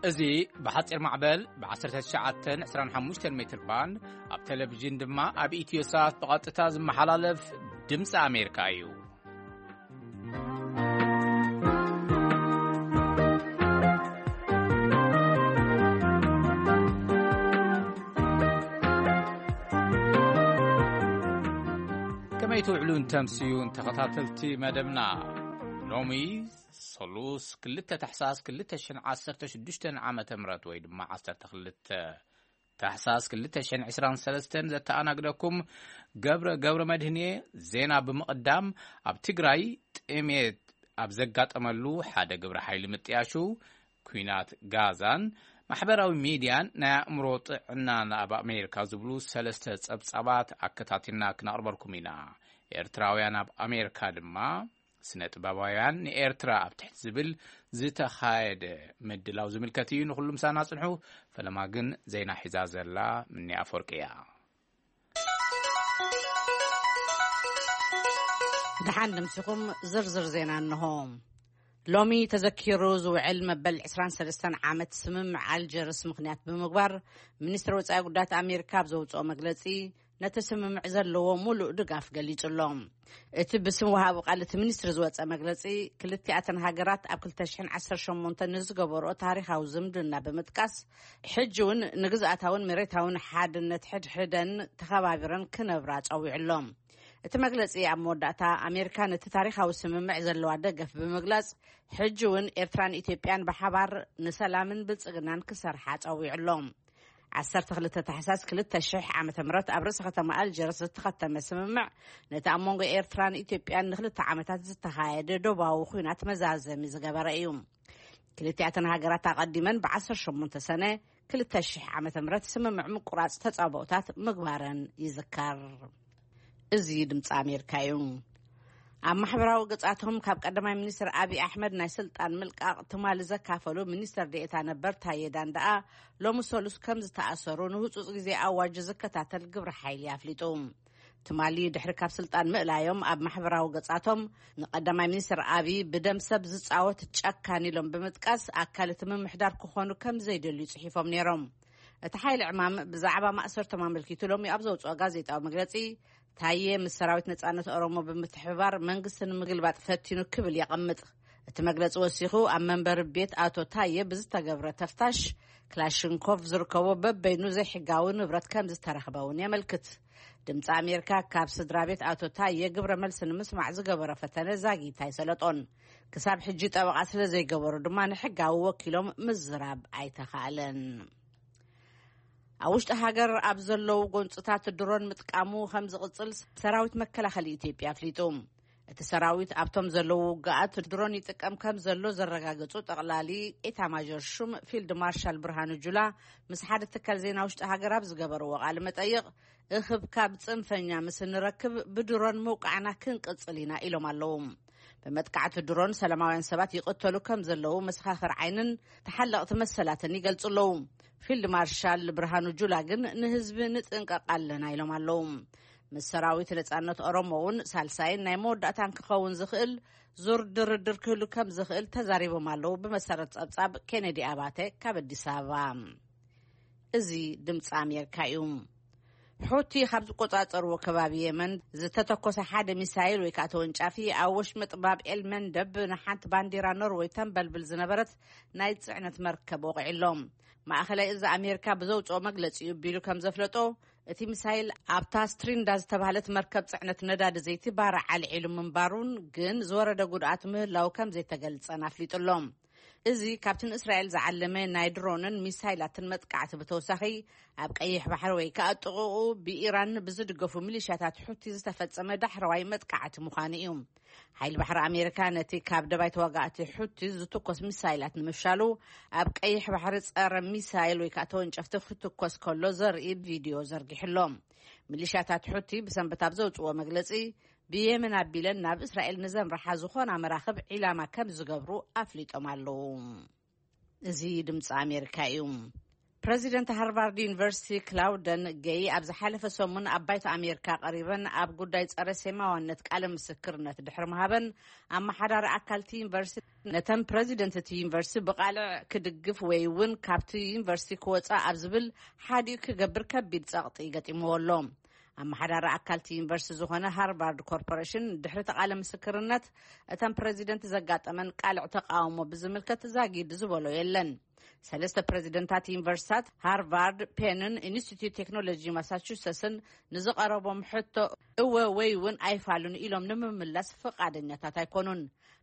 እዚ ብሓጺር ማዕበል ብ19 25 ሜትር ባንድ፣ ኣብ ቴሌቪዥን ድማ ኣብ ኢትዮ ሳት ብቐጥታ ዝመሓላለፍ ድምፂ ኣሜሪካ እዩ። ከመይ ትውዕሉን ተምስዩን ተኸታተልቲ መደብና? ሎሚ ሰሉስ ክልተ ታሕሳስ ክልተ ሽሕን ዓሰርተ ሽዱሽተን ዓመተ ምህረት ወይ ድማ ዓሰርተ ክልተ ታሕሳስ ክልተ ሽሕን ዕስራን ሰለስተን ዘተኣናግደኩም ገብረ፣ ገብረ መድህን እየ። ዜና ብምቕዳም፣ ኣብ ትግራይ ጥሜት ኣብ ዘጋጠመሉ ሓደ ግብረ ሓይሊ ምጥያሹ፣ ኲናት ጋዛን ማሕበራዊ ሚድያን ናይ ኣእምሮ ጥዕናን ኣብ ኣሜሪካ ዝብሉ ሰለስተ ጸብጻባት ኣከታቲልና ክነቕርበልኩም ኢና። ኤርትራውያን ኣብ ኣሜሪካ ድማ ስነ ጥበባውያን ንኤርትራ ኣብ ትሕቲ ዝብል ዝተኻየደ ምድላው ዝምልከት እዩ። ንኹሉ ምሳና ጽንሑ። ፈለማ ግን ዜና ሒዛ ዘላ ምኒ ኣፈወርቂ እያ። ደሓን ንምሲኹም። ዝርዝር ዜና እንሆ። ሎሚ ተዘኪሩ ዝውዕል መበል ዕስራን ሰለስተን ዓመት ስምምዕ ኣልጀርስ ምኽንያት ብምግባር፣ ሚኒስትሪ ወጻኢ ጉዳያት ኣሜሪካ ኣብ ዘውጽኦ መግለጺ፣ ነቲ ስምምዕ ዘለዎ ሙሉእ ድጋፍ ገሊጹ ኣሎ። እቲ ብስም ወሃቢ ቃል እቲ ሚኒስትሪ ዝወጸ መግለጺ፣ ክልቲኣተን ሃገራት ኣብ ክልተ ሽሕን ዓሰርተ ሸሞንተን ንዝገበርኦ ታሪኻዊ ዝምድና ብምጥቃስ፣ ሕጂ እውን ንግዝኣታውን መሬታውን ሓድነት ሕድሕደን ተኸባቢረን ክነብራ ጸዊዑ ኣሎ። እቲ መግለጺ ኣብ መወዳእታ፣ ኣሜሪካ ነቲ ታሪኻዊ ስምምዕ ዘለዋ ደገፍ ብምግላጽ፣ ሕጂ እውን ኤርትራን ኢትዮጵያን ብሓባር ንሰላምን ብልጽግናን ክሰርሓ ጸዊዑ ኣሎ። ዓሰርተ ክልተ ታሕሳስ ክልተ ሽሕ ዓመተ ምህረት ኣብ ርእሰ ከተማ ኣልጀርስ ዝተኸተመ ስምምዕ፣ ነቲ ኣብ መንጎ ኤርትራን ኢትዮጵያን ንክልተ ዓመታት ዝተኻየደ ዶባዊ ኲናት መዛዘሚ ዝገበረ እዩ። ክልቲኣተን ሃገራት ኣቐዲመን ብ ዓሰርተ ሸሞንተ ሰነ ክልተ ሽሕ ዓመተ ምህረት ስምምዕ ምቁራጽ ተጻብኦታት ምግባረን ይዝከር። እዚ ድምፂ ኣሜሪካ እዩ። ኣብ ማሕበራዊ ገጻቶም ካብ ቀዳማይ ሚኒስትር ኣብይ ኣሕመድ ናይ ስልጣን ምልቃቕ ትማሊ ዘካፈሉ ሚኒስትር ዴኤታ ነበር ታዬ ዳንዳኣ፣ ሎሚ ሰሉስ ከም ዝተኣሰሩ ንህጹጽ ግዜ ኣዋጅ ዝከታተል ግብረ ሓይሊ ኣፍሊጡ። ትማሊ ድሕሪ ካብ ስልጣን ምእላዮም፣ ኣብ ማሕበራዊ ገጻቶም ንቀዳማይ ሚኒስትር ኣብይ ብደም ሰብ ዝጻወት ጨካን ኢሎም ብምጥቃስ፣ ኣካል እቲ ምምሕዳር ክኾኑ ከም ዘይደልዩ ጽሒፎም ነይሮም። እቲ ሓይሊ ዕማም ብዛዕባ ማእሰርቶም ኣመልኪቱ ሎሚ ኣብ ዘውጽኦ ጋዜጣዊ መግለጺ፣ ታዬ ምስ ሰራዊት ነጻነት ኦሮሞ ብምትሕብባር መንግስቲ ንምግልባጥ ፈቲኑ ክብል የቐምጥ። እቲ መግለጺ ወሲኹ፣ ኣብ መንበሪ ቤት ኣቶ ታዬ ብዝተገብረ ተፍታሽ፣ ክላሽንኮቭ ዝርከቦ በበይኑ ዘይሕጋዊ ንብረት ከም ዝተረኽበ እውን የመልክት። ድምፂ ኣሜሪካ ካብ ስድራ ቤት ኣቶ ታዬ ግብረ መልሲ ንምስማዕ ዝገበሮ ፈተነ ዛጊት ኣይሰለጦን። ክሳብ ሕጂ ጠበቓ ስለ ዘይገበሩ ድማ ንሕጋዊ ወኪሎም ምዝራብ ኣይተኻእለን። ኣብ ውሽጢ ሃገር ኣብ ዘለዉ ጎንፅታት ድሮን ምጥቃሙ ከም ዝቕፅል ሰራዊት መከላኸሊ ኢትዮጵያ ኣፍሊጡ። እቲ ሰራዊት ኣብቶም ዘለዉ ውግኣት ድሮን ይጥቀም ከም ዘሎ ዘረጋገጹ ጠቕላሊ ኤታማዦር ሹም ፊልድ ማርሻል ብርሃኑ ጁላ፣ ምስ ሓደ ትካል ዜና ውሽጢ ሃገር ኣብ ዝገበርዎ ቃለ መጠይቕ፣ እኽብካብ ጽንፈኛ ምስ እንረክብ ብድሮን ምውቃዕና ክንቅጽል ኢና ኢሎም ኣለዉ። ብመጥቃዕቲ ድሮን ሰላማውያን ሰባት ይቕተሉ ከም ዘለዉ መሰኻኽር ዓይንን ተሓለቕቲ መሰላትን ይገልጹ ኣለዉ። ፊልድ ማርሻል ብርሃኑ ጁላ ግን ንህዝቢ ንጥንቀቕ ኣለና ኢሎም ኣለዉ። ምስ ሰራዊት ነጻነት ኦሮሞ እውን ሳልሳይን ናይ መወዳእታን ክኸውን ዝኽእል ዙር ድርድር ክህሉ ከም ዝኽእል ተዛሪቦም ኣለዉ። ብመሰረት ጸብጻብ ኬነዲ ኣባተ ካብ ኣዲስ ኣበባ። እዚ ድምፂ ኣሜሪካ እዩ። ሑቲ ካብ ዝቆጻጸርዎ ከባቢ የመን ዝተተኮሰ ሓደ ሚሳይል ወይ ከዓ ተወንጫፊ ኣብ ወሽመጥ ባብ ኤል መንደብ ንሓንቲ ባንዲራ ኖርወይ ተንበልብል ዝነበረት ናይ ጽዕነት መርከብ ወቒዕሎም። ማእኸላይ እዚ ኣሜሪካ ብዘውፅኦ መግለፂ እዩ ቢሉ ከም ዘፍለጦ፣ እቲ ሚሳይል ኣብታ ስትሪንዳ ዝተባህለት መርከብ ጽዕነት ነዳዲ ዘይቲ ባርዕ ኣልዒሉ ምንባሩን ግን ዝወረደ ጉድኣት ምህላው ከም ዘይተገልጸን ኣፍሊጡ ኣሎ። እዚ ካብቲ ንእስራኤል ዝዓለመ ናይ ድሮንን ሚሳይላትን መጥቃዕቲ ብተወሳኺ፣ ኣብ ቀይሕ ባሕሪ ወይ ከዓ ጥቕኡ ብኢራን ብዝድገፉ ሚሊሻታት ሑቲ ዝተፈጸመ ዳሕረዋይ መጥቃዕቲ ምዃኑ እዩ። ሓይሊ ባሕሪ ኣሜሪካ ነቲ ካብ ደባይ ተዋጋእቲ ሑቲ ዝትኮስ ሚሳይላት ንምፍሻሉ፣ ኣብ ቀይሕ ባሕሪ ጸረ ሚሳይል ወይ ከዓ ተወንጨፍቲ ክትኮስ ከሎ ዘርኢ ቪድዮ ዘርጊሑ ኣሎ። ሚሊሻታት ሑቲ ብሰንበት ኣብ ዘውፅዎ መግለፂ፣ ብየመን ኣቢለን ናብ እስራኤል ንዘምርሓ ዝኾና መራኽብ ዒላማ ከም ዝገብሩ ኣፍሊጦም ኣለዉ። እዚ ድምፂ ኣሜሪካ እዩ። ፕረዚደንት ሃርቫርድ ዩኒቨርሲቲ ክላውደን ገይ ኣብ ዝሓለፈ ሰሙን ኣብ ባይቶ ኣሜሪካ ቀሪበን ኣብ ጉዳይ ጸረ ሴማዋነት ቃለ ምስክርነት ድሕሪ ምሃበን፣ ኣመሓዳሪ ኣካልቲ ዩኒቨርሲቲ ነተን ፕረዚደንት እቲ ዩኒቨርሲቲ ብቓልዕ ክድግፍ ወይ እውን ካብቲ ዩኒቨርሲቲ ክወፃ ኣብ ዝብል ሓዲኡ ክገብር ከቢድ ጸቕጢ ገጢምዎ ኣሎ። ኣመሓዳሪ ኣካልቲ ዩኒቨርሲቲ ዝኾነ ሃርቫርድ ኮርፖሬሽን ድሕሪ ተቓለ ምስክርነት እተን ፕረዚደንት ዘጋጠመን ቃልዕ ተቃውሞ ብዝምልከት ዛጊድ ዝበሎ የለን። ሰለስተ ፕረዚደንታት ዩኒቨርሲታት ሃርቫርድ፣ ፔንን ኢንስቲትዩት ቴክኖሎጂ ማሳቹሰስን ንዝቐረቦም ሕቶ እወ ወይ እውን ኣይፋሉን ኢሎም ንምምላስ ፍቓደኛታት ኣይኮኑን።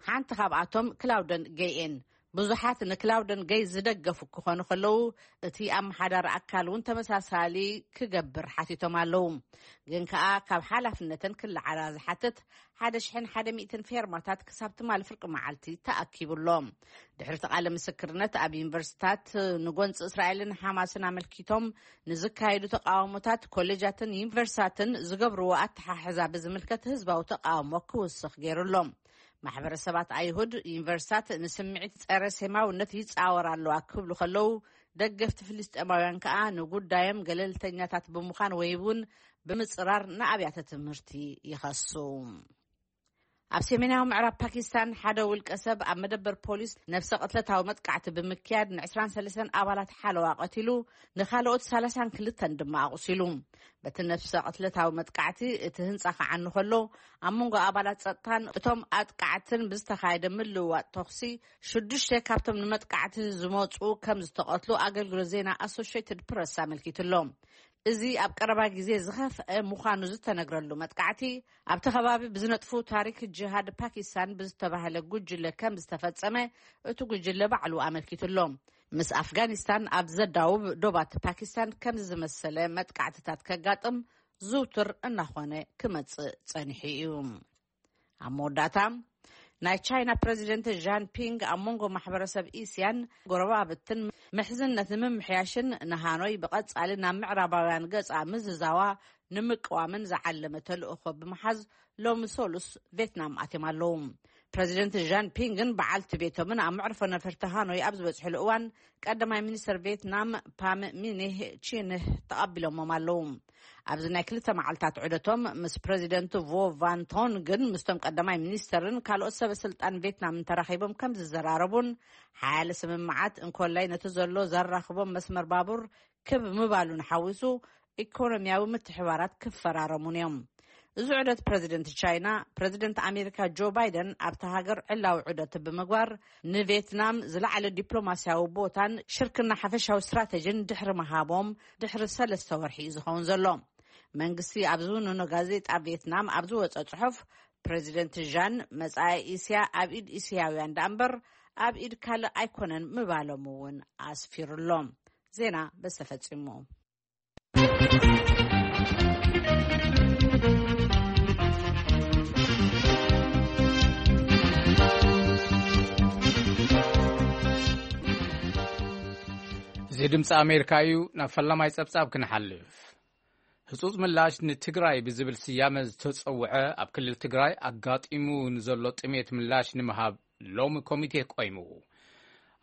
ሓንቲ ካብኣቶም ክላውደን ገይኤን። ብዙሓት ንክላውደን ገይ ዝደገፉ ክኾኑ ከለዉ፣ እቲ ኣመሓዳሪ ኣካል እውን ተመሳሳሊ ክገብር ሓቲቶም ኣለዉ። ግን ከኣ ካብ ሓላፍነተን ክለዓላ ዝሓትት ሓደ ሽሕን ሓደ ሚእትን ፌርማታት ክሳብ ትማሊ ፍርቂ መዓልቲ ተኣኪቡ ኣሎ። ድሕሪ እቲ ቃለ ምስክርነት ኣብ ዩኒቨርሲታት ንጎንፂ እስራኤልን ሓማስን ኣመልኪቶም ንዝካየዱ ተቃውሞታት ኮሌጃትን ዩኒቨርሲታትን ዝገብርዎ ኣተሓሕዛ ብዝምልከት ህዝባዊ ተቃውሞ ክውስኽ ገይሩ ኣሎ። ማሕበረሰባት ኣይሁድ ዩኒቨርሲታት ንስምዒት ጸረ ሴማውነት ይጻወር ኣለዋ ክብሉ ከለዉ፣ ደገፍቲ ፍልስጤማውያን ከኣ ንጉዳዮም ገለልተኛታት ብምዃን ወይ እውን ብምጽራር ንኣብያተ ትምህርቲ ይኸሱ። ኣብ ሰሜናዊ ምዕራብ ፓኪስታን ሓደ ውልቀ ሰብ ኣብ መደበር ፖሊስ ነፍሰ ቅትለታዊ መጥቃዕቲ ብምክያድ ን23 ኣባላት ሓለዋ ቀቲሉ፣ ንኻልኦት ሰላሳን ክልተን ድማ ኣቑሲሉ። በቲ ነፍሰ ቅትለታዊ መጥቃዕቲ እቲ ህንጻ ክዓኑ ከሎ፣ ኣብ መንጎ ኣባላት ጸጥታን እቶም ኣጥቃዕትን ብዝተኻየደ ምልውዋጥ ተኹሲ ሽዱሽተ ካብቶም ንመጥቃዕቲ ዝመጹ ከም ዝተቐትሉ ኣገልግሎት ዜና ኣሶሽየትድ ፕረስ ኣመልኪቱ ኣሎ። እዚ ኣብ ቀረባ ግዜ ዝኸፍአ ምዃኑ ዝተነግረሉ መጥቃዕቲ ኣብቲ ከባቢ ብዝነጥፉ ታሪክ ጅሃድ ፓኪስታን ብዝተባህለ ጉጅለ ከም ዝተፈጸመ እቲ ጉጅለ ባዕሉ ኣመልኪቱ ኣሎ። ምስ ኣፍጋኒስታን ኣብ ዘዳውብ ዶባት ፓኪስታን ከምዚ ዝመሰለ መጥቃዕትታት ከጋጥም ዝውቱር እናኾነ ክመጽእ ጸኒሑ እዩ። ኣብ መወዳእታ ናይ ቻይና ፕረዚደንት ጃን ፒንግ ኣብ መንጎ ማሕበረሰብ እስያን ጎረባብትን ምሕዝነት ንምምሕያሽን ንሃኖይ ብቐጻሊ ናብ ምዕራባውያን ገጻ ምዝዛዋ ንምቅዋምን ዝዓለመ ተልእኾ ብምሓዝ ሎሚ ሰሉስ ቬትናም ኣትዮም ኣለዉ። ፕረዚደንት ጃን ፒንግን በዓልቲ ቤቶምን ኣብ መዕርፎ ነፈርቲ ሃኖይ ኣብ ዝበጽሕሉ እዋን ቀዳማይ ሚኒስትር ቬትናም ፓም ሚኒህ ቺንህ ተቐቢሎሞም ኣለዉ። ኣብዚ ናይ ክልተ መዓልታት ዑደቶም ምስ ፕረዚደንት ቮ ቫን ቶንግን ምስቶም ቀዳማይ ሚኒስተርን ካልኦት ሰበ ስልጣን ቬትናምን ተራኺቦም ከም ዝዘራረቡን ሓያለ ስምምዓት እንኮላይ ነቲ ዘሎ ዘራኽቦም መስመር ባቡር ክብ ምባሉን ሓዊሱ ኢኮኖሚያዊ ምትሕባራት ክፈራረሙን እዮም። እዚ ዑደት ፕረዚደንት ቻይና፣ ፕረዚደንት ኣሜሪካ ጆ ባይደን ኣብታ ሃገር ዕላዊ ዑደት ብምግባር ንቬትናም ዝለዓለ ዲፕሎማስያዊ ቦታን ሽርክና ሓፈሻዊ ስትራተጂን ድሕሪ ምሃቦም ድሕሪ ሰለስተ ወርሒ እዩ ዝኸውን ዘሎ። መንግስቲ ኣብ ዝውንኖ ጋዜጣ ቬትናም ኣብ ዝወጸ ጽሑፍ፣ ፕረዚደንት ዣን መጻኢ እስያ ኣብ ኢድ እስያውያን ደኣ እምበር ኣብ ኢድ ካልእ ኣይኮነን ምባሎም እውን ኣስፊሩ ኣሎ። ዜና በዚ ተፈጺሙ። እዚ ድምፂ ኣሜሪካ እዩ። ናብ ፈላማይ ጸብጻብ ክንሓልፍ። ህጹጽ ምላሽ ንትግራይ ብዝብል ስያመ ዝተጸውዐ ኣብ ክልል ትግራይ ኣጋጢሙ ንዘሎ ጥሜት ምላሽ ንምሃብ ሎሚ ኮሚቴ ቆይሙ።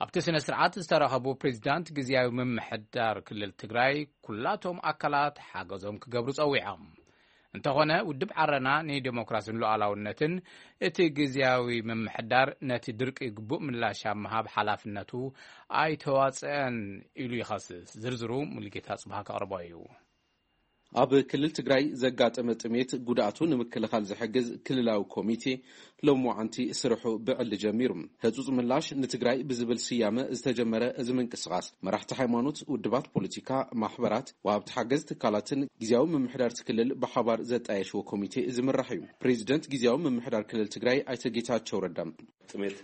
ኣብቲ ስነ ስርዓት ዝተረኸቡ ፕሬዚዳንት ግዝያዊ ምምሕዳር ክልል ትግራይ ኩላቶም ኣካላት ሓገዞም ክገብሩ ጸዊዖም። እንተኾነ ውድብ ዓረና ንዴሞክራሲን ሉዓላውነትን እቲ ግዝያዊ ምምሕዳር ነቲ ድርቂ ግቡእ ምላሽ ኣብ ምሃብ ሓላፍነቱ ኣይተዋጽአን ኢሉ ይኸስስ። ዝርዝሩ ሙሉጌታ ጽብሃ ከቕርቦ እዩ። ኣብ ክልል ትግራይ ዘጋጠመ ጥሜት ጉድኣቱ ንምክልኻል ዝሕግዝ ክልላዊ ኮሚቴ ሎሚ መዓንቲ ስርሑ ብዕሊ ጀሚሩ። ህጹጽ ምላሽ ንትግራይ ብዝብል ስያመ ዝተጀመረ እዚ ምንቅስቓስ መራሕቲ ሃይማኖት፣ ውድባት ፖለቲካ፣ ማሕበራት፣ ወሃብቲ ሓገዝ ትካላትን ግዝያዊ ምምሕዳርቲ ክልል ብሓባር ዘጣየሽዎ ኮሚቴ ዝምራሕ እዩ። ፕሬዚደንት ግዝያዊ ምምሕዳር ክልል ትግራይ ኣይተ ጌታቸው ረዳ ጥሜት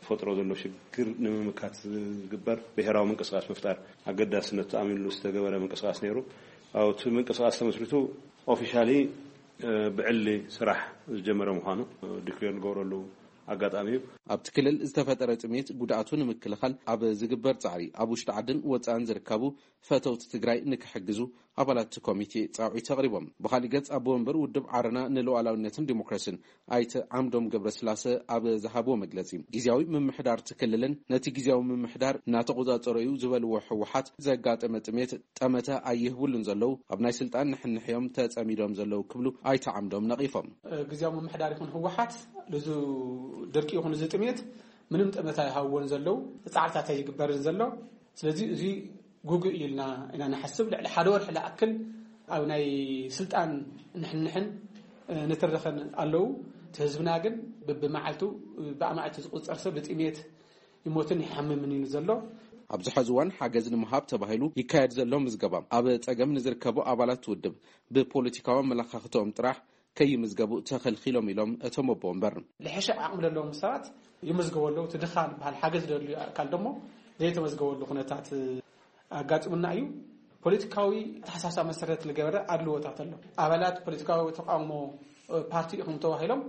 ፈጥሮ ዘሎ ሽግር ንምምካት ዝግበር ብሄራዊ ምንቅስቃስ ምፍጣር ኣገዳስነቱ ኣሚንሉ ዝተገበረ ምንቅስቃስ ነይሩ። ኣብቲ ምንቅስቃስ ተመስሪቱ ኦፊሻሊ ብዕሊ ስራሕ ዝጀመረ ምዃኑ ዲክሌር ንገብረሉ ኣጋጣሚ እዩ። ኣብቲ ክልል ዝተፈጠረ ጥሜት ጉድኣቱ ንምክልኻል ኣብ ዝግበር ጻዕሪ ኣብ ውሽጢ ዓድን ወጻእን ዝርከቡ ፈተውቲ ትግራይ ንክሕግዙ ኣባላት እቲ ኮሚቴ ጻውዒት ኣቕሪቦም። ብኻሊእ ገጽ ኣቦ ወንበር ውድብ ዓረና ንሉዓላውነትን ዲሞክራሲን ኣይተ ዓምዶም ገብረስላሰ ኣብ ዝሃብዎ መግለጺ፣ ግዝያዊ ምምሕዳር እቲ ክልልን ነቲ ግዝያዊ ምምሕዳር እናተቆጻጸሮ እዩ ዝበልዎ ህወሓት ዘጋጠመ ጥሜት ጠመተ ኣይህብሉን ዘለዉ ኣብ ናይ ስልጣን ንሕንሕዮም ተጸሚዶም ዘለዉ ክብሉ ኣይተ ዓምዶም ነቒፎም። ግዝያዊ ምምሕዳር ይኹን ህወሓት ልዙ ድርቂ ይኹን እዚ ጥሜት ምንም ጠመታ ይሃውዎን ዘለዉ፣ ጻዕርታት ኣይግበርን ዘሎ። ስለዚ እዚ ጉጉእ እዩ ኢልና ኢና ንሓስብ። ልዕሊ ሓደ ወርሒ ዝኣክል ኣብ ናይ ስልጣን ንሕንሕን፣ እ፣ ንትርኽን ኣለዉ። እቲ ህዝብና ግን ብብመዓልቱ፣ ብኣማእቲ ዝቁጸር ሰብ ብጥሜት ይሞትን ይሓምምን እዩ ዘሎ። ኣብዚ ሕዚ እዋን ሓገዝ ንምሃብ ተባሂሉ ይካየድ ዘሎ ምዝገባ፣ ኣብ ጸገም ንዝርከቡ ኣባላት ውድብ ብፖለቲካዊ ኣመለኻኽተኦም ጥራሕ ከይምዝገቡ ተኸልኪሎም ኢሎም እቶም ኣቦ ወንበር። ልሕሸ ዓቕሚ ዘለዎም ሰባት ይምዝገቡ ኣለዉ። እቲ ድኻ ዝበሃል ሓገዝ ዘድልዩ ኣካል ደሞ ዘይተመዝገበሉ ኩነታት ኣጋጢሙና እዩ። ፖለቲካዊ ኣተሓሳስባ መሰረት ዝገበረ ኣድልዎታት ኣሎ። ኣባላት ፖለቲካዊ ተቃውሞ ፓርቲ ኢኹም ተባሂሎም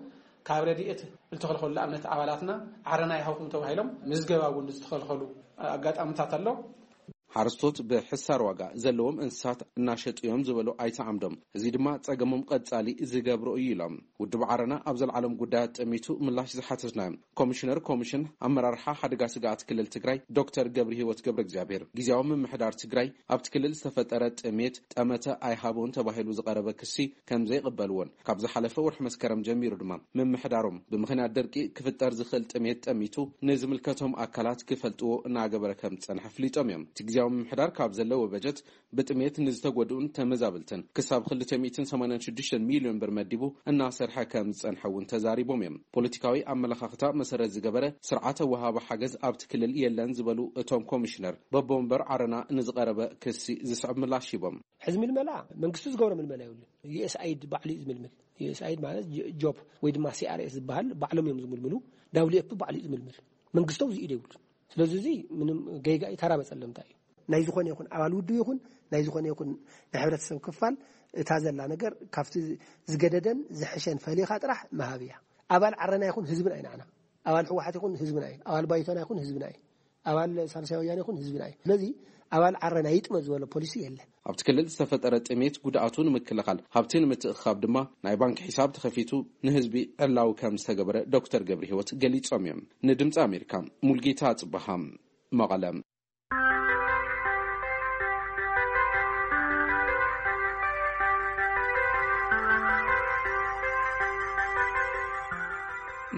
ካብ ረድኤት ዝተኸልከሉ፣ ንኣብነት ኣባላትና ዓረና ይሃብኩም ተባሂሎም ምዝገባ እውን ዝተኸልከሉ ኣጋጣሚታት ኣሎ። ሓረስቶት ብሕሳር ዋጋ ዘለዎም እንስሳት እናሸጡ እዮም ዝበሉ ኣይተ ዓምዶም፣ እዚ ድማ ጸገሞም ቀጻሊ ዝገብሮ እዩ ኢሎም። ውድብ ዓረና ኣብ ዘልዓሎም ጉዳያት ጠሚቱ ምላሽ ዝሓተትናዮም ኮሚሽነር ኮሚሽን ኣመራርሓ ሓደጋ ስግኣት ክልል ትግራይ ዶክተር ገብረ ህይወት ገብረ እግዚኣብሔር፣ ግዜያዊ ምምሕዳር ትግራይ ኣብቲ ክልል ዝተፈጠረ ጥሜት ጠመተ ኣይሃቦን ተባሂሉ ዝቐረበ ክሲ ከም ዘይቕበልዎን፣ ካብ ዝሓለፈ ወርሒ መስከረም ጀሚሩ ድማ ምምሕዳሮም ብምኽንያት ደርቂ ክፍጠር ዝኽእል ጥሜት ጠሚቱ ንዝምልከቶም ኣካላት ክፈልጥዎ እናገበረ ከም ዝጸንሐ ኣፍሊጦም እዮም። እቲ ግዜያዊ ምምሕዳር ካብ ዘለዎ በጀት ብጥሜት ንዝተጎድኡን ተመዛበልትን ክሳብ ክልተ ሚእትን ሰማንያን ሽዱሽተን ሚልዮን ብር መዲቡ እናሰርሐ ከም ዝጸንሐ እውን ተዛሪቦም እዮም። ፖለቲካዊ ኣመለኻኽታ መሰረት ዝገበረ ስርዓተ ወሃቢ ሓገዝ ኣብቲ ክልል የለን ዝበሉ እቶም ኮሚሽነር፣ በቦ ወንበር ዓረና ንዝቐረበ ክሲ ዝስዕብ ምላሽ ሂቦም። ሕዚ ምልመላ መንግስቱ ዝገብሮ ምልመላ የብሉን። ዩ ኤስ ኣይዲ ባዕሉ እዩ ዝምልምል። ዩ ኤስ ኣይዲ ማለት ጆ-፣ ጆብ ወይ ድማ ሲ ኣር ኤስ ዝበሃል ባዕሎም እዮም ዝምልምሉ። ዳብሊው ኤፍ ፒ ባዕሉ እዩ ዝምልምል። መንግስቶም ዝኢድ የብሉን። ስለዚ እዚ ምንም ጌጋ እዩ፣ ተራ መጸለምታ እዩ። ናይ ዝኾነ ይኹን ኣባል ውድብ ይኹን ናይ ዝኾነ ይኹን ናይ ሕብረተሰብ ክፋል እታ ዘላ ነገር ካብቲ ዝገደደን ዝሕሸን ፈሊኻ ጥራሕ ምሃብ እያ። ኣባል ዓረና ይኹን ህዝብና እዩ ንዓና። ኣባል ህወሓት ይኹን ህዝብና እዩ። ኣባል ባይቶና ይኹን ህዝብና እዩ። ኣባል ሳልሳይ ወያነ ይኹን ህዝብና እዩ። ስለዚ ኣባል ዓረና ይጥመ ዝበሎ ፖሊሲ የለን። ኣብቲ ክልል ዝተፈጠረ ጥሜት ጉድኣቱ ንምክልኻል፣ ሃብቲ ንምትእኽኻብ ድማ ናይ ባንክ ሒሳብ ተኸፊቱ ንህዝቢ ዕላዊ ከም ዝተገበረ ዶክተር ገብረ ህይወት ገሊጾም እዮም። ንድምፂ ኣሜሪካ ሙልጌታ ጽበሃ፣ መቐለ።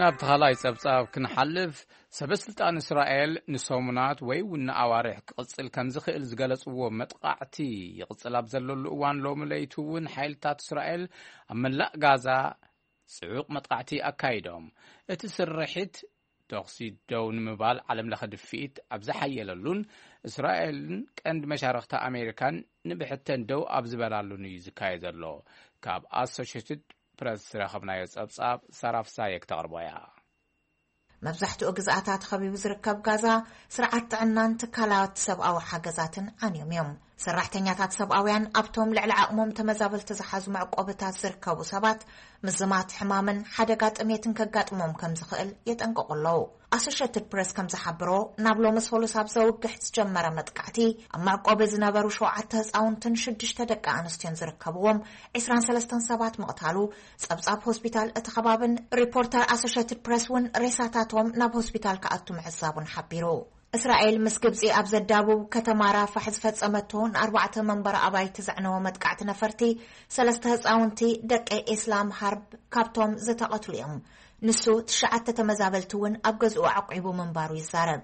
ናብ ተኻላይ ጸብጻብ ክንሓልፍ፣ ሰበ ስልጣን እስራኤል ንሰሙናት ወይ እውን ንኣዋርሕ ክቕጽል ከም ዝኽእል ዝገለጽዎ መጥቓዕቲ ይቕጽል ኣብ ዘለሉ እዋን፣ ሎሚ ለይቱ እውን ሓይልታት እስራኤል ኣብ መላእ ጋዛ ጽዑቕ መጥቓዕቲ ኣካይዶም። እቲ ስርሒት ተኹሲ ደው ንምባል ዓለም ለኸ ድፍኢት ኣብ ዝሓየለሉን እስራኤልን ቀንዲ መሻርኽቲ ኣሜሪካን ንብሕተን ደው ኣብ ዝበላሉን እዩ ዝካየድ ዘሎ። ካብ ኣሶሽትድ ፕረስ ዝረኸብናዮ ጸብጻብ ሳራ ፍሳየ ክተቕርቦ እያ። መብዛሕትኡ ግዝኣታት ኸቢቡ ዝርከብ ጋዛ ስርዓት ጥዕናን ትካላት ሰብኣዊ ሓገዛትን ዓንዮም እዮም። ሰራሕተኛታት ሰብኣውያን ኣብቶም ልዕሊ ዓቕሞም ተመዛበልቲ ዝሓዙ መዕቆብታት ዝርከቡ ሰባት ምዝማት ሕማምን ሓደጋ ጥሜትን ከጋጥሞም ከም ዝኽእል የጠንቅቑ ኣለዉ። ኣሶሽትድ ፕረስ ከም ዝሓብሮ፣ ናብ ሎሚ ሰሉስ ኣብ ዘውግሕ ዝጀመረ መጥቃዕቲ ኣብ መዕቆቢ ዝነበሩ ሸውዓተ ህፃውንትን ሽዱሽተ ደቂ ኣንስትዮን ዝርከብዎም ዕስራን ሰለስተን ሰባት ምቕታሉ ጸብጻብ ሆስፒታል እቲ ከባብን ሪፖርተር ኣሶሽትድ ፕረስ እውን ሬሳታቶም ናብ ሆስፒታል ክኣቱ ምዕዛቡን ሓቢሩ። እስራኤል ምስ ግብጺ ኣብ ዘዳብብ ከተማ ራፋሕ ዝፈጸመቶ ንኣርባዕተ መንበሪ ኣባይቲ ዘዕነወ መጥቃዕቲ ነፈርቲ፣ ሰለስተ ህጻውንቲ ደቂ ኢስላም ሃርብ ካብቶም ዝተቐትሉ እዮም። ንሱ ትሽዓተ ተመዛበልቲ እውን ኣብ ገዝኡ ዓቂቡ ምንባሩ ይዛረብ።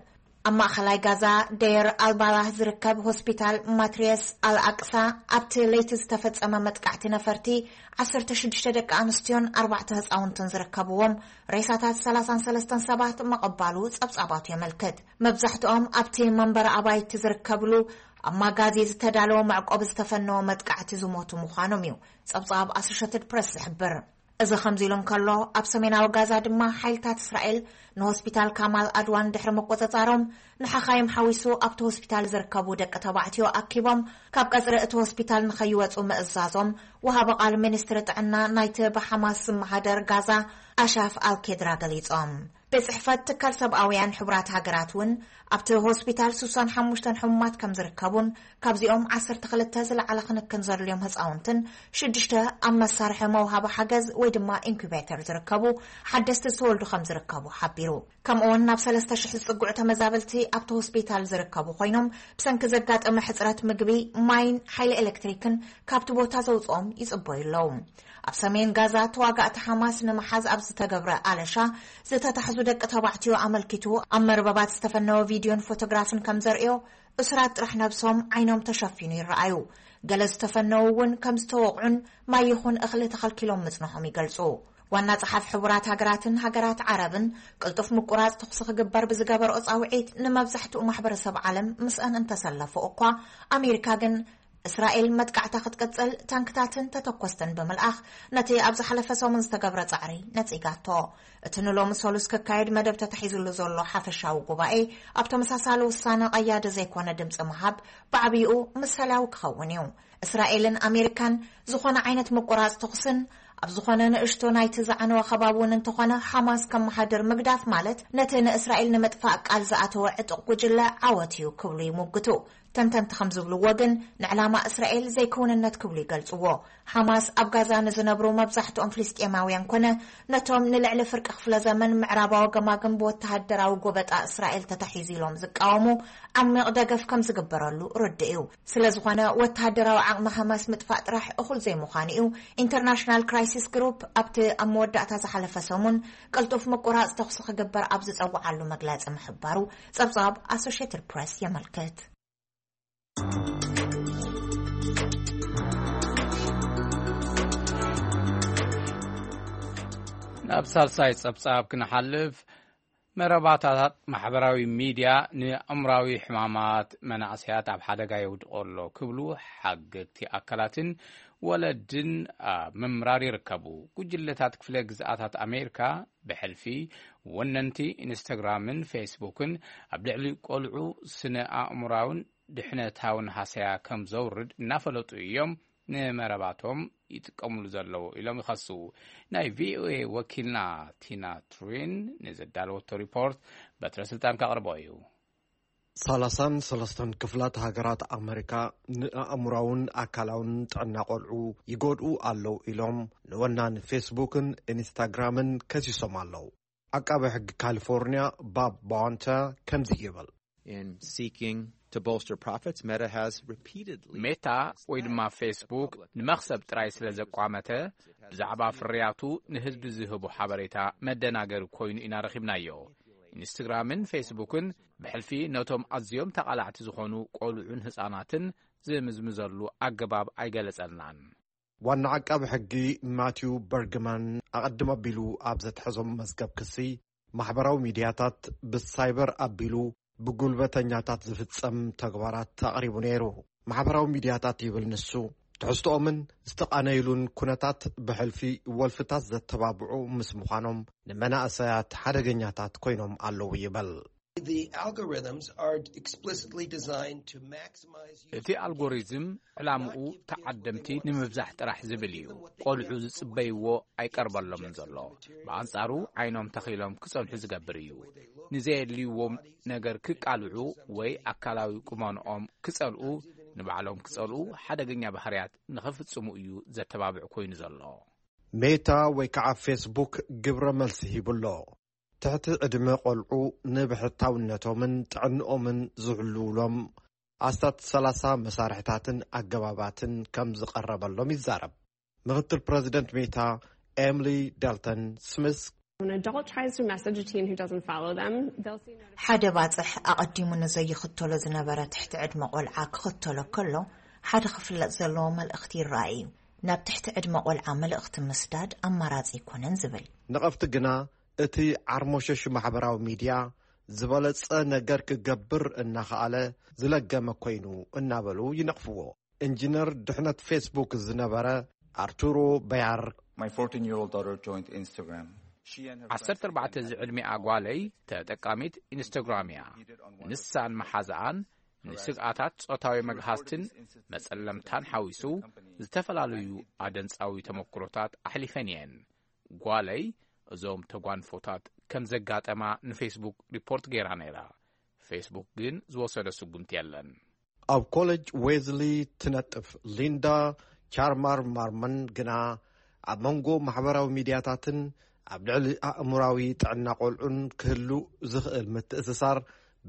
ኣብ ማእኸላይ ጋዛ ደየር ኣልባላህ ዝርከብ ሆስፒታል ማትርየስ ኣልኣቅሳ ኣብቲ ለይቲ ዝተፈጸመ መጥቃዕቲ ነፈርቲ ዓሰርተ ሽዱሽተ ደቂ ኣንስትዮን ኣርባዕተ ህጻውንትን ዝርከብዎም ሬሳታት ሰላሳን ሰለስተን ሰባት ምቕባሉ ጸብጻባቱ የመልክት። መብዛሕትኦም ኣብቲ መንበሪ ኣባይቲ ዝርከብሉ ኣብ ማጋዚ ዝተዳለወ መዕቆቢ ዝተፈነወ መጥቃዕቲ ዝሞቱ ምዃኖም እዩ ጸብጻብ ኣሶሸትድ ፕረስ ዝሕብር። እዚ ከምዚ ኢሉ እንከሎ፣ ኣብ ሰሜናዊ ጋዛ ድማ ሓይልታት እስራኤል ንሆስፒታል ካማል ኣድዋን ድሕሪ ምቁጽጻሮም፣ ንሓኻይም ሓዊሱ ኣብቲ ሆስፒታል ዝርከቡ ደቂ ተባዕትዮ ኣኪቦም ካብ ቀጽሪ እቲ ሆስፒታል ንኸይወጹ ምእዛዞም ወሃቢ ቃል ሚኒስትሪ ጥዕና ናይቲ ብሓማስ ዝመሃደር ጋዛ ኣሻፍ ኣልኬድራ ገሊጾም። ቤት ጽሕፈት ትካል ሰብኣውያን ሕቡራት ሃገራት እውን ኣብቲ ሆስፒታል ስሳን ሓሙሽተን ሕሙማት ከም ዝርከቡን ካብዚኦም ዓሰርተ ክልተ ዝለዓለ ክንክን ዘድልዮም ህፃውንትን ሽዱሽተ ኣብ መሳርሒ መውሃቢ ሓገዝ ወይ ድማ ኢንኩቤተር ዝርከቡ ሓደስቲ ዝተወልዱ ከም ዝርከቡ ሓቢሩ። ከምኡውን ናብ ሰለስተ ሽሕ ዝፅግዑ ተመዛበልቲ ኣብቲ ሆስፒታል ዝርከቡ ኮይኖም ብሰንኪ ዘጋጠመ ሕፅረት ምግቢ፣ ማይን ሓይሊ ኤሌክትሪክን ካብቲ ቦታ ዘውፅኦም ይፅበዩ ኣለዉ። ኣብ ሰሜን ጋዛ ተዋጋእቲ ሓማስ ንምሓዝ ኣብ ዝተገብረ ኣለሻ ዝተታሕዙ ደቂ ተባዕትዮ ኣመልኪቱ ኣብ መርበባት ዝተፈነወ ቪድዮን ፎቶግራፍን ከም ዘርእዮ፣ እሱራት ጥራሕ ነብሶም ዓይኖም ተሸፊኑ ይረኣዩ። ገለ ዝተፈነዉ እውን ከም ዝተወቕዑን ማይ ይኹን እኽሊ ተኸልኪሎም ምጽንሖም ይገልጹ። ዋና ጸሓፊ ሕቡራት ሃገራትን ሃገራት ዓረብን ቅልጡፍ ምቁራጽ ተኹሲ ክግበር ብዝገበርኦ ጻውዒት ንመብዛሕትኡ ማሕበረሰብ ዓለም ምስአን እንተሰለፉ እኳ፣ ኣሜሪካ ግን እስራኤል መጥቃዕታ ክትቅጽል ታንክታትን ተተኮስትን ብምልኣኽ ነቲ ኣብ ዝሓለፈ ሰሙን ዝተገብረ ጻዕሪ ነጺጋቶ። እቲ ንሎሚ ሰሉስ ክካየድ መደብ ተታሒዙሉ ዘሎ ሓፈሻዊ ጉባኤ ኣብ ተመሳሳሊ ውሳነ ቀያዲ ዘይኮነ ድምጺ ምሃብ ብዓብይኡ ምሳሌያዊ ክኸውን እዩ። እስራኤልን ኣሜሪካን ዝኾነ ዓይነት ምቁራጽ ተኹስን ኣብ ዝኾነ ንእሽቶ ናይቲ ዝዓነወ ከባቢ እውን እንተኾነ ሓማስ ከመሓድር ምግዳፍ ማለት ነቲ ንእስራኤል ንምጥፋእ ቃል ዝኣተወ ዕጡቕ ጉጅለ ዓወት እዩ ክብሉ ይሙግቱ። ተንተንቲ ከም ዝብልዎ ግን ንዕላማ እስራኤል ዘይክውንነት ክብሉ ይገልጽዎ። ሓማስ ኣብ ጋዛ ንዝነብሩ መብዛሕትኦም ፍልስጤማውያን ኮነ ነቶም ንልዕሊ ፍርቂ ክፍለ ዘመን ምዕራባዊ ገማግም ብወተሃደራዊ ጎበጣ እስራኤል ተታሒዙ ኢሎም ዝቃወሙ ዓሚቕ ደገፍ ከም ዝግበረሉ ርዱእ እዩ። ስለ ዝኾነ ወተሃደራዊ ዓቕሚ ሓማስ ምጥፋእ ጥራሕ እኹል ዘይምዃኑ እዩ ኢንተርናሽናል ክራይሲስ ግሩፕ ኣብቲ ኣብ መወዳእታ ዝሓለፈ ሰሙን ቅልጡፍ ምቁራጽ ተኹሲ ክግበር ኣብ ዝጸውዓሉ መግለጺ ምሕባሩ ጸብጻብ ኣሶሽየትድ ፕሬስ የመልክት። ናብ ሳልሳይ ጸብጻብ ክንሓልፍ፣ መረባታት ማሕበራዊ ሚድያ ንኣእምራዊ ሕማማት መናእሰያት ኣብ ሓደጋ የውድቆ ኣሎ ክብሉ ሓገግቲ ኣካላትን ወለድን ኣብ ምምራር ይርከቡ። ጉጅለታት ክፍለ ግዝኣታት ኣሜሪካ ብሕልፊ ወነንቲ ኢንስታግራምን ፌስቡክን ኣብ ልዕሊ ቆልዑ ስነ ኣእምራውን ድሕነታውን ሃሰያ ከም ዘውርድ እናፈለጡ እዮም ንመረባቶም ይጥቀምሉ ዘለዉ ኢሎም ይኸሱ። ናይ ቪኦኤ ወኪልና ቲና ትሪን ንዘዳለወቶ ሪፖርት በትረ ስልጣን ከቕርቦ እዩ። ሰላሳን ሰለስተን ክፍላት ሃገራት ኣመሪካ ንኣእምራውን ኣካላውን ጥዕና ቆልዑ ይጎድኡ ኣለዉ ኢሎም ንወናን ፌስቡክን ኢንስታግራምን ከሲሶም ኣለዉ። ዓቃቢ ሕጊ ካሊፎርኒያ ባብ ባዋንታ ከምዚ ይብል። In seeking to bolster profits, Meta has repeatedly ሜታ ወይ ድማ ፌስቡክ ንመኽሰብ ጥራይ ስለ ዘቋመተ ብዛዕባ ፍርያቱ ንህዝቢ ዝህቦ ሓበሬታ መደናገሪ ኮይኑ ኢና ረኺብናዮ። ኢንስትግራምን ፌስቡክን ብሕልፊ ነቶም ኣዝዮም ተቓላዕቲ ዝኾኑ ቆልዑን ህጻናትን ዝምዝምዘሉ ኣገባብ ኣይገለጸልናን። ዋና ዓቃቢ ሕጊ ማቲው በርግማን ኣቐድም ኣቢሉ ኣብ ዘትሐዞም መዝገብ ክሲ ማሕበራዊ ሚድያታት ብሳይበር ኣቢሉ ብጉልበተኛታት ዝፍጸም ተግባራት ኣቕሪቡ ነይሩ። ማሕበራዊ ሚድያታት ይብል ንሱ ትሕዝቶኦምን ዝተቓነይሉን ኩነታት ብሕልፊ ወልፍታት ዘተባብዑ ምስ ምዃኖም ንመናእሰያት ሓደገኛታት ኮይኖም ኣለዉ ይበል። The algorithms are explicitly designed to maximize እቲ ኣልጎሪዝም ዕላምኡ ተዓደምቲ ንምብዛሕ ጥራሕ ዝብል እዩ። ቆልዑ ዝጽበይዎ ኣይቀርበሎምን ዘሎ። ብኣንጻሩ ዓይኖም ተኺሎም ክጸንሑ ዝገብር እዩ። ንዘየድልይዎም ነገር ክቃልዑ ወይ ኣካላዊ ቁመንኦም ክጸልኡ፣ ንባዕሎም ክጸልኡ፣ ሓደገኛ ባህርያት ንኽፍጽሙ እዩ ዘተባብዕ ኮይኑ ዘሎ። ሜታ ወይ ከዓ ፌስቡክ ግብረ መልሲ ሂቡ ኣሎ። ትሕቲ ዕድመ ቆልዑ ንብሕታውነቶምን ጥዕንኦምን ዝሕልውሎም ኣስታት ሰላሳ መሳርሕታትን ኣገባባትን ከም ዝቐረበሎም ይዛረብ። ምክትል ፕረዚደንት ሜታ ኤምሊ ዳልተን ስሚስ When an adult tries to message a teen who doesn't follow them, they'll see notifications. ሓደ ባጽሕ ኣቐዲሙ ንዘይኽተሎ ዝነበረ ትሕቲ ዕድመ ቆልዓ ክኽተሎ ከሎ፣ ሓደ ክፍለጥ ዘለዎ መልእኽቲ ይረኣይ እዩ። ናብ ትሕቲ ዕድመ ቆልዓ መልእኽቲ ምስዳድ ኣማራጺ ኣይኮነን ዝብል። ነቐፍቲ ግና እቲ ዓርሞሸሽ ማሕበራዊ ሚድያ ዝበለጸ ነገር ክገብር እናኸኣለ ዝለገመ ኮይኑ እናበሉ ይነቕፍዎ። ኢንጂነር ድሕነት ፌስቡክ ዝነበረ ኣርቱሮ በያር My fourteen year old daughter joined Instagram. She and her friends ዓሰርተ ኣርባዕተ ዝዕድሚኣ ጓለይ ተጠቃሚት ኢንስታግራም እያ። ንሳን መሓዛኣን ንስግኣታት ጾታዊ መግሃስትን መጸለምታን ሓዊሱ ዝተፈላለዩ ኣደንጻዊ ተመክሮታት ኣሕሊፈን እየን። ጓለይ እዞም ተጓንፎታት ከም ዘጋጠማ ንፌስቡክ ሪፖርት ገይራ ነይራ። ፌስቡክ ግን ዝወሰዶ ስጉምቲ የለን። ኣብ ኮሌጅ ዌዝሊ ትነጥፍ ሊንዳ ቻርማር ማርመን ግና፣ ኣብ መንጎ ማሕበራዊ ሚድያታትን ኣብ ልዕሊ ኣእምራዊ ጥዕና ቆልዑን ክህሉ ዝኽእል ምትእስሳር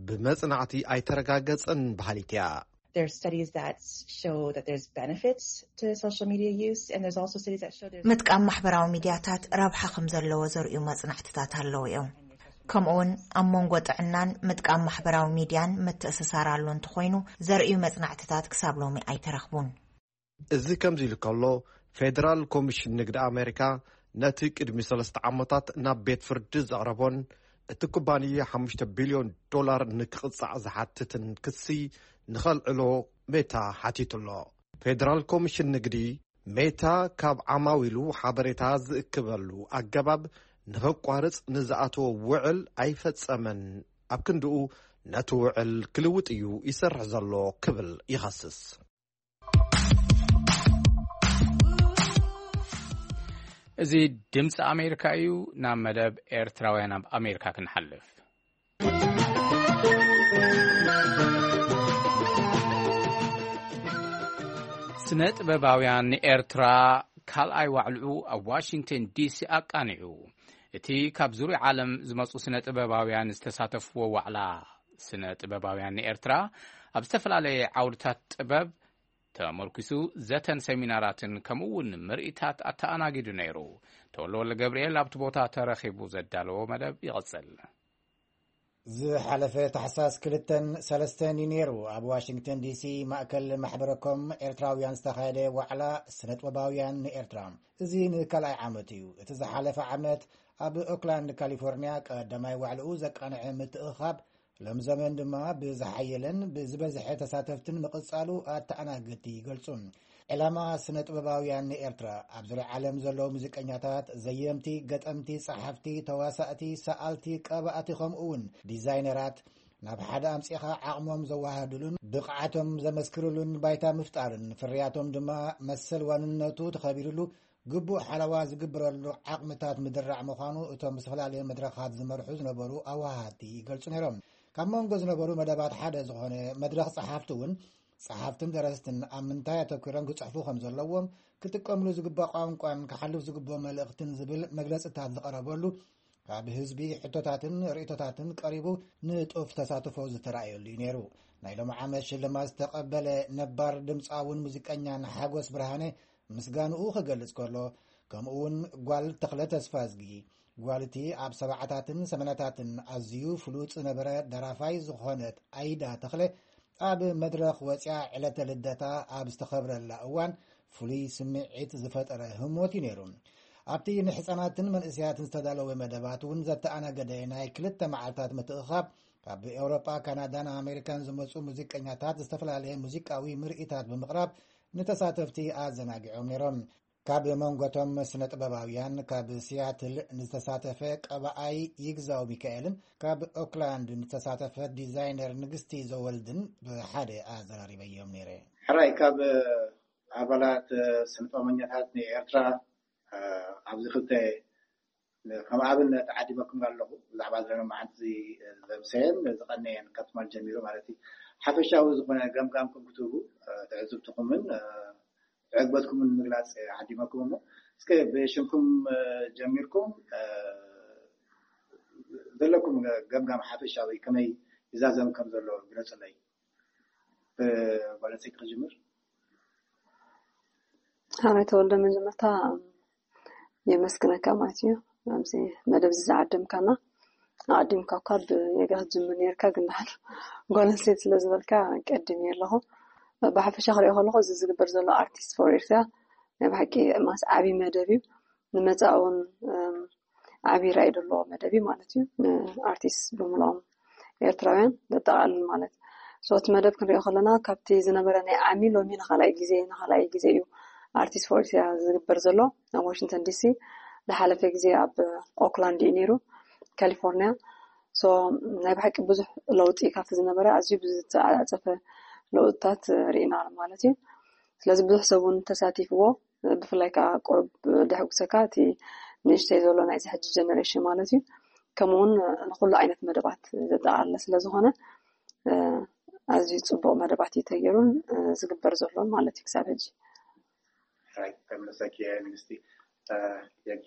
ብመጽናዕቲ ኣይተረጋገጸን በሃሊት እያ። There are studies that show that there's benefits to social media use, and there's also studies that show there's ምጥቃም ማሕበራዊ ሚድያታት ረብሓ ከም ዘለዎ ዘርእዩ መጽናዕትታት ኣለዉ እዮም። ከምኡውን ኣብ መንጎ ጥዕናን ምጥቃም ማሕበራዊ ሚድያን ምትእስሳር ኣሎ እንተኾይኑ ዘርእዩ መጽናዕትታት ክሳብ ሎሚ ኣይተረኽቡን። እዚ ከምዚ ኢሉ ከሎ፣ ፌደራል ኮሚሽን ንግዲ ኣሜሪካ ነቲ ቅድሚ ሰለስተ ዓመታት ናብ ቤት ፍርዲ ዘቕረቦን እቲ ኩባንያ ሓሙሽተ ቢልዮን ዶላር ንክቕጻዕ ዝሓትትን ክሲ ንኸልዕሎ ሜታ ሓቲቱ ኣሎ። ፌደራል ኮሚሽን ንግዲ፣ ሜታ ካብ ዓማዊሉ ሓበሬታ ዝእክበሉ ኣገባብ ንኸቋርጽ ንዝኣተዎ ውዕል ኣይፈጸመን፣ ኣብ ክንድኡ ነቲ ውዕል ክልውጥ እዩ ይሰርሕ ዘሎ ክብል ይኸስስ። እዚ ድምፂ ኣሜሪካ እዩ። ናብ መደብ ኤርትራውያን ኣብ ኣሜሪካ ክንሓልፍ። ስነ ጥበባውያን ንኤርትራ ካልኣይ ዋዕልኡ ኣብ ዋሽንግተን ዲሲ ኣቃኒዑ። እቲ ካብ ዙርያ ዓለም ዝመፁ ስነ ጥበባውያን ዝተሳተፍዎ ዋዕላ፣ ስነ ጥበባውያን ንኤርትራ ኣብ ዝተፈላለየ ዓውድታት ጥበብ ተመርኪሱ ዘተን ሰሚናራትን ከምኡ እውን ምርኢታት ኣተኣናጊዱ ነይሩ። ተወልደ ወልደ ገብርኤል ኣብቲ ቦታ ተረኺቡ ዘዳለዎ መደብ ይቐጽል። ዝሓለፈ ታሕሳስ ክልተን ሰለስተን እዩ ነይሩ ኣብ ዋሽንግተን ዲሲ ማእከል ማሕበረኮም ኤርትራውያን ዝተኻየደ ዋዕላ ስነጥበባውያን ንኤርትራ። እዚ ንካልኣይ ዓመት እዩ። እቲ ዝሓለፈ ዓመት ኣብ ኦክላንድ ካሊፎርኒያ ቀዳማይ ዋዕልኡ ዘቃንዐ ምትእኻብ ሎም ዘመን ድማ ብዝሓየለን ብዝበዝሐ ተሳተፍትን ምቕጻሉ ኣተኣናገድቲ ይገልጹ። ዕላማ ስነ ጥበባውያን ንኤርትራ ኣብ ዙርያ ዓለም ዘለዉ ሙዚቀኛታት፣ ዘየምቲ፣ ገጠምቲ፣ ጸሓፍቲ፣ ተዋሳእቲ፣ ሰኣልቲ፣ ቀባእቲ ከምኡ እውን ዲዛይነራት ናብ ሓደ ኣምጺኻ ዓቕሞም ዘወሃድሉን ብቕዓቶም ዘመስክርሉን ባይታ ምፍጣርን ፍርያቶም ድማ መሰል ዋንነቱ ተኸቢርሉ ግቡእ ሓለዋ ዝግብረሉ ዓቕምታት ምድራዕ ምዃኑ እቶም ዝተፈላለየ መድረኻት ዝመርሑ ዝነበሩ ኣወሃሃድቲ ይገልጹ ነይሮም። ካብ መንጎ ዝነበሩ መደባት ሓደ ዝኾነ መድረኽ ጸሓፍቲ እውን ጸሓፍትን ደረስትን ኣብ ምንታይ ኣተኲሮም ክጽሕፉ ከም ዘለዎም፣ ክጥቀምሉ ዝግባእ ቋንቋን ክሓልፍ ዝግብኦ መልእኽትን ዝብል መግለጽታት ዝቐረበሉ ካብ ህዝቢ ሕቶታትን ርእይቶታትን ቀሪቡ ንጡፍ ተሳትፎ ዝተራእየሉ እዩ ነይሩ። ናይ ሎሚ ዓመት ሽልማት ዝተቐበለ ነባር ድምፃውን ሙዚቀኛን ሓጎስ ብርሃነ ምስጋንኡ ክገልጽ ከሎ፣ ከምኡ እውን ጓል ተኽለ ተስፋዝጊ፣ ጓል እቲ ኣብ ሰብዓታትን ሰማንያታትን ኣዝዩ ፍሉጥ ዝነበረ ደራፋይ ዝኾነት ኣይዳ ተኽለ ኣብ መድረኽ ወፂኣ ዕለተ ልደታ ኣብ ዝተኸብረላ እዋን ፍሉይ ስምዒት ዝፈጠረ ህሞት እዩ ነይሩ። ኣብቲ ንሕፃናትን መንእሰያትን ዝተዳለወ መደባት እውን ዘተኣናገደ ናይ ክልተ መዓልታት ምትእኻብ ካብ ኤውሮጳ፣ ካናዳን ኣሜሪካን ዝመፁ ሙዚቀኛታት ዝተፈላለየ ሙዚቃዊ ምርኢታት ብምቕራብ ንተሳተፍቲ ኣዘናጊዖም ነይሮም። ካብ መንጎቶም ስነ ጥበባውያን ካብ ሲያትል ንዝተሳተፈ ቀባኣይ ይግዛው ሚካኤልን ካብ ኦክላንድ ንዝተሳተፈ ዲዛይነር ንግስቲ ዘወልድን ብሓደ ኣዘራሪበዮም ነይረ። ሕራይ ካብ ኣባላት ስነ ጥበበኛታት ንኤርትራ ኣብዚ ክልተ ከም ኣብነት ዓዲመኩም ኣለኹ። ብዛዕባ ዘመን መዓልቲ ዘምሰየን ዝቐነየን ካብ ትማል ጀሚሩ ማለት እዩ። ሓፈሻዊ ዝኾነ ገምጋምኩም ክትህቡ ትዕዝብትኹምን ዕግበትኩምን ምግላፅ ዓዲመኩም እሞ እስከ ብሽምኩም ጀሚርኩም ዘለኩም ገምጋም ሓፈሻዊ ከመይ ይዛዘም ከም ዘሎ ግለፅለይ። ብጓል ኣንስተይቲ ክጅምር። ሓራይ ተወልደ መጀመርታ የመስግነካ ማለት እዩ ኣብዚ መደብ እዚ ዝዓደምካና። ኣቐዲምካ እኳ ብየጋ ክትጅምር ነርካ ግን ደሓን ጓል ኣንስተይቲ ስለ ዝበልካ ቀዲም እየ ኣለኹ። ብሓፈሻ ክሪኦ ከለኹ እዚ ዝግበር ዘሎ ኣርቲስት ፎር ኤርትራ ናይ ብሓቂ ማስ ዓብዪ መደብ እዩ። ንመጻኢ እውን ዓብዪ ራእይ ዘለዎ መደብ እዩ ማለት እዩ። ንኣርቲስት ብምልኦም ኤርትራውያን ዘጠቓልል ማለት። So እቲ መደብ ክንሪኦ ከለና ካብቲ ዝነበረ ናይ ዓሚ ሎሚ ንኻልኣይ ግዜ ንኻልኣይ ግዜ እዩ ኣርቲስት ፎር ኤርትራ ዝግበር ዘሎ ኣብ ዋሽንግተን ዲሲ። ዝሓለፈ ግዜ ኣብ ኦክላንድ እዩ ነይሩ ካሊፎርኒያ። So ናይ ብሓቂ ብዙሕ ለውጢ ካብቲ ዝነበረ ኣዝዩ ብዝተዓጻጸፈ ለውጥታት ርኢና ማለት እዩ። ስለዚ ብዙሕ ሰብ እውን ተሳቲፍዎ። ብፍላይ ከዓ ቁሩብ ደሕጉሰካ እቲ ንእሽተይ ዘሎ ናይዚ ሕጂ ጀነሬሽን ማለት እዩ። ከምኡ እውን ንኩሉ ዓይነት መደባት ዘጠቓለለ ስለ ዝኾነ ኣዝዩ ጽቡቕ መደባት እዩ ተገይሩን ዝግበር ዘሎን ማለት እዩ ክሳብ ሕጂ። ሕራይ፣ ከመሰኪ ንግስቲ። የጊ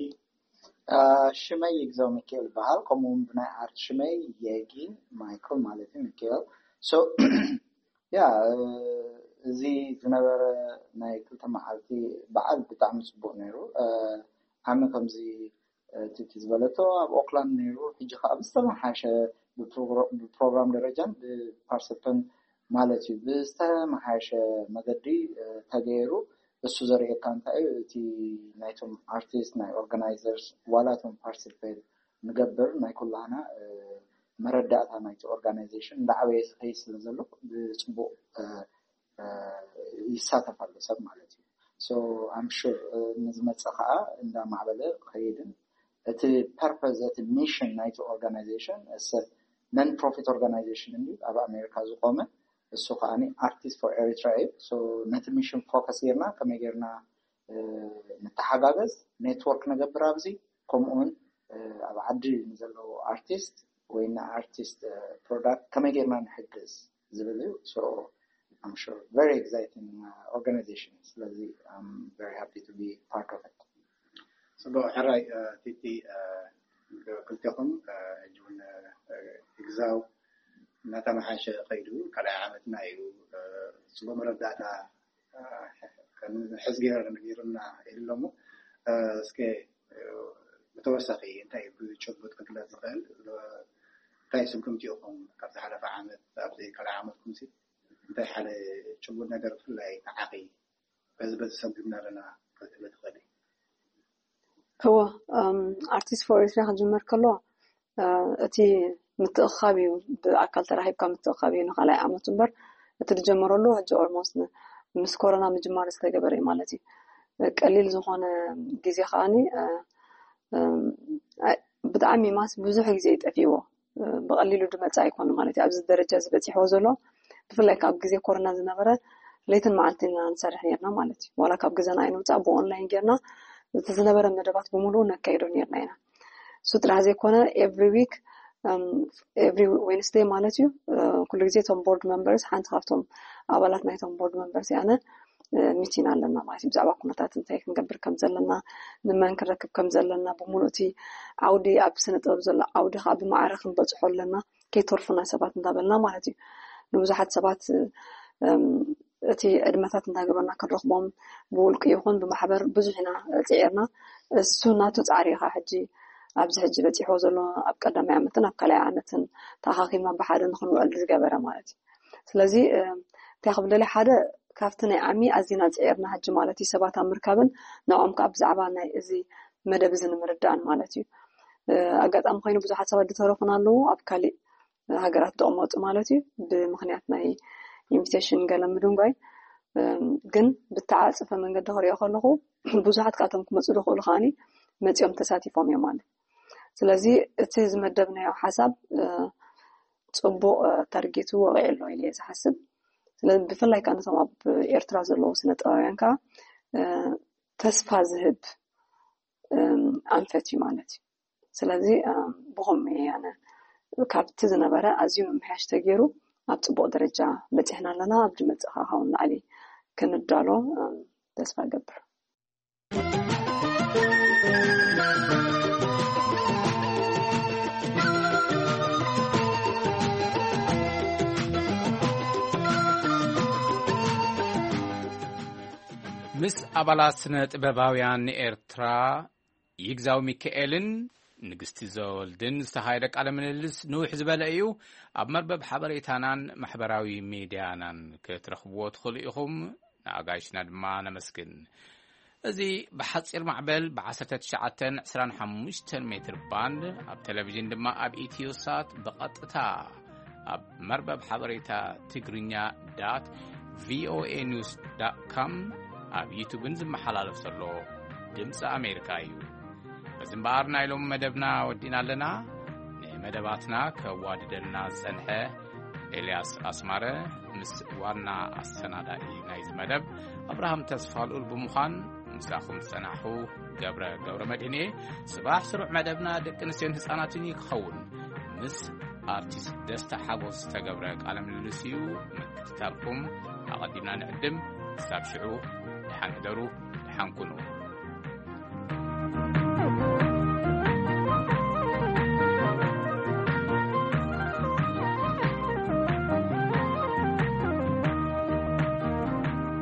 ሽመይ ይግዛው ሚካኤል ይበሃል። ከምኡ እውን ብናይ ኣርት ሽመይ የጊ ማይክል ማለት እዩ ሚካኤል። ሶ ያ፣ እዚ ዝነበረ ናይ ክልተ መዓልቲ በዓል ብጣዕሚ ጽቡቕ ነይሩ። ዓሚ ከምዚ ትቲ ዝበለቶ ኣብ ኦክላንድ ነይሩ። ሕጂ ከዓ ብዝተመሓሸ ብፕሮግራም ደረጃን ብፓርቲስፐንት ማለት እዩ ብዝተመሓሸ መገዲ ተገይሩ። እሱ ዘርእየካ እንታይ እዩ፣ እቲ ናይቶም ኣርቲስት ናይ ኦርጋናይዘርስ ዋላ እቶም ፓርቲስፔት ንገብር ናይ ኩላህና መረዳእታ ናይቲ ኦርጋናይዜሽን እንዳዓበየ ዝኸይድ ስለ ዘሎ ብፅቡቅ ይሳተፍ ኣሎ ሰብ ማለት እዩ። So I'm sure ንዝመፀ ከዓ እንዳማዕበለ ክኸይድን እቲ ፐርፐዝ እቲ ሚሽን ናይቲ ኦርጋናይዜሽን non profit organization እንዲ ኣብ ኣሜሪካ ዝቆመ እሱ ከዓ ኣርቲስት ፎር ኤሪትራ እዩ። So ነቲ ሚሽን ፎከስ ጌርና ከመይ ጌርና ንተሓጋገዝ፣ ኔትወርክ ንገብር ኣብዚ፣ ከምኡውን ኣብ ዓዲ ንዘለዉ ኣርቲስት ወይ ንኣርቲስት ፕሮዳክት ከመይ ጌርና ንሕግዝ ዝብል እዩ። So I'm sure very exciting organization። ስለዚ I'm very happy to be part of it። ጽቡቕ ሕራይ ቲቲ፣ ክልቴኹም ሕጂ እውን ይግዛው እናተመሓሸ ከይዱ ካልኣይ ዓመትና እዩ። ጽቡቕ መረዳእታ ሕዝ ገይረ ነጊሩና ኢሉ ኣሎ እሞ እስከ ብተወሳኺ እንታይ ብጭቡጥ ክግለጽ ዝኽእል እንታይ ስጉምቲ ኢኹም ካብ ዝሓለፈ ዓመት ኣብዚ ካልኣይ ዓመትኩም ሲ እንታይ ሓደ ጭቡጥ ነገር ብፍላይ ንዓኺ በዚ በዚ ሰጉምና ኣለና ክትብል ትኽእሊ? እወ፣ ኣርቲስት ፎር ኤርትራ ክጅመር ከሎ እቲ ምትእኻብ እዩ። ብኣካል ተራኺብካ ምትእኻብ እዩ ንካልኣይ ዓመቱ እምበር እቲ ዝጀመረሉ ሕጂ ኦልሞስት ምስ ኮሮና ምጅማር ዝተገበረ እዩ ማለት እዩ። ቀሊል ዝኾነ ግዜ ከዓኒ ብጣዕሚ ማስ ብዙሕ ግዜ እዩ ጠፊእዎ። ብቐሊሉ ዝመጽእ ኣይኮነ ማለት እዩ። ኣብዚ ደረጃ እዚ በጺሕዎ ዘሎ ብፍላይ ካብ ግዜ ኮሮና ዝነበረ ለይትን መዓልትን ኢና ንሰርሕ ነርና ማለት እዩ። ዋላ ካብ ገዛና ኣይንውጻእ ብኦንላይን ጌርና እቲ ዝነበረ መደባት ብምሉኡ ነካይዶ ነርና ኢና። እሱ ጥራሕ ዘይኮነ ኤቭሪ ዊክ ኤቭሪ ዌንስደይ ማለት እዩ ኩሉ ግዜ እቶም ቦርድ መንበርስ ሓንቲ ካብቶም ኣባላት ናይቶም ቦርድ መንበርስ ኣነ ሚቲን ኣለና ማለት እዩ። ብዛዕባ ኩነታት እንታይ ክንገብር ከም ዘለና ንመን ክንረክብ ከም ዘለና ብምሉእ እቲ ዓውዲ ኣብ ስነ ጥበብ ዘሎ ዓውዲ ከዓ ብማዕረ ክንበፅሖ ኣለና ከይተርፉና ሰባት እንዳበልና ማለት እዩ። ንብዙሓት ሰባት እቲ ዕድመታት እንዳገበርና ክንረክቦም ብውልቂ ይኹን ብማሕበር ብዙሕ ኢና ፅዒርና። እሱ ናቱ ፃዕሪ ኢኻ ሕጂ ኣብዚ ሕጂ በፂሕዎ ዘሎ ኣብ ቀዳማይ ዓመትን ኣብ ካልኣይ ዓመትን ተኣኻኺብና ብሓደ ንክንውዕል ዝገበረ ማለት እዩ። ስለዚ እንታይ ክብል ደልየ ሓደ ካብቲ ናይ ዓሚ ኣዚና ፅዒርና ሕጂ ማለት እዩ ሰባት ኣብ ምርካብን ንዕኦም ከዓ ብዛዕባ ናይ እዚ መደብ እዚ ንምርዳእን ማለት እዩ። ኣጋጣሚ ኮይኑ ብዙሓት ሰባት ዝተረፉና ኣለዉ ኣብ ካሊእ ሃገራት ዝቕመጡ ማለት እዩ ብምክንያት ናይ ኢንቪቴሽን ገለ ምድንጓይ ግን ብተዓፀፈ መንገዲ ክሪኦ ከለኹ ብዙሓት ካብቶም ክመፁ ዝኽእሉ ከዓኒ መፂኦም ተሳቲፎም እዮም ማለት። ስለዚ እቲ ዝመደብናዮ ሓሳብ ፅቡቕ ታርጌቱ ወቂዑ ኣሎ ኢለ እየ ዝሓስብ። ስለዚ ብፍላይ ከዓ ነቶም ኣብ ኤርትራ ዘለዉ ስነ ጥበባውያን ከዓ ተስፋ ዝህብ ኣንፈት እዩ ማለት እዩ። ስለዚ ብኸምኡ እየ ኣነ ካብቲ ዝነበረ ኣዝዩ ምምሕያሽ ተገይሩ ኣብ ፅቡቕ ደረጃ በፂሕና ኣለና። ኣብ ዝመፅእ ከዓ ካብኡ ንላዕሊ ክንዳሎ ተስፋ እገብር። ምስ ኣባላት ስነ ጥበባውያን ኤርትራ ይግዛው ሚካኤልን ንግስቲ ዘወልድን ዝተኻየደ ቃለ ምልልስ ንውሕ ዝበለ እዩ። ኣብ መርበብ ሓበሬታናን ማሕበራዊ ሚድያናን ክትረኽብዎ ትኽእሉ ኢኹም። ንኣጋይሽና ድማ ነመስግን። እዚ ብሓጺር ማዕበል ብ19 25 ሜትር ባንድ ኣብ ቴሌቪዥን ድማ ኣብ ኢትዮ ሳት ብቐጥታ ኣብ መርበብ ሓበሬታ ትግርኛ ዳት ቪኦኤ ኒውስ ዳት ካም ኣብ ዩቱብን ዝመሓላለፍ ዘሎ ድምፂ ኣሜሪካ እዩ። በዚ እምበኣር ናይ ሎም መደብና ወዲና ኣለና። ንመደባትና ከዋድደልና ዝጸንሐ ኤልያስ ኣስማረ ምስ ዋና ኣሰናዳኢ ናይዚ መደብ ኣብርሃም ተስፋ ልኡል ብምዃን ምሳኹም ዝጸናሕኹ ገብረ ገብረ መድህን እየ። ጽባሕ ስሩዕ መደብና ደቂ ኣንስትዮን ህጻናትን እዩ ክኸውን። ምስ ኣርቲስት ደስታ ሓጎስ ዝተገብረ ቃለ ምልልስ እዩ። ምክትታልኩም ኣቐዲምና ንዕድም። ክሳብ ሽዑ፣ ደሓን ሕደሩ፣ ደሓን ኩኑ።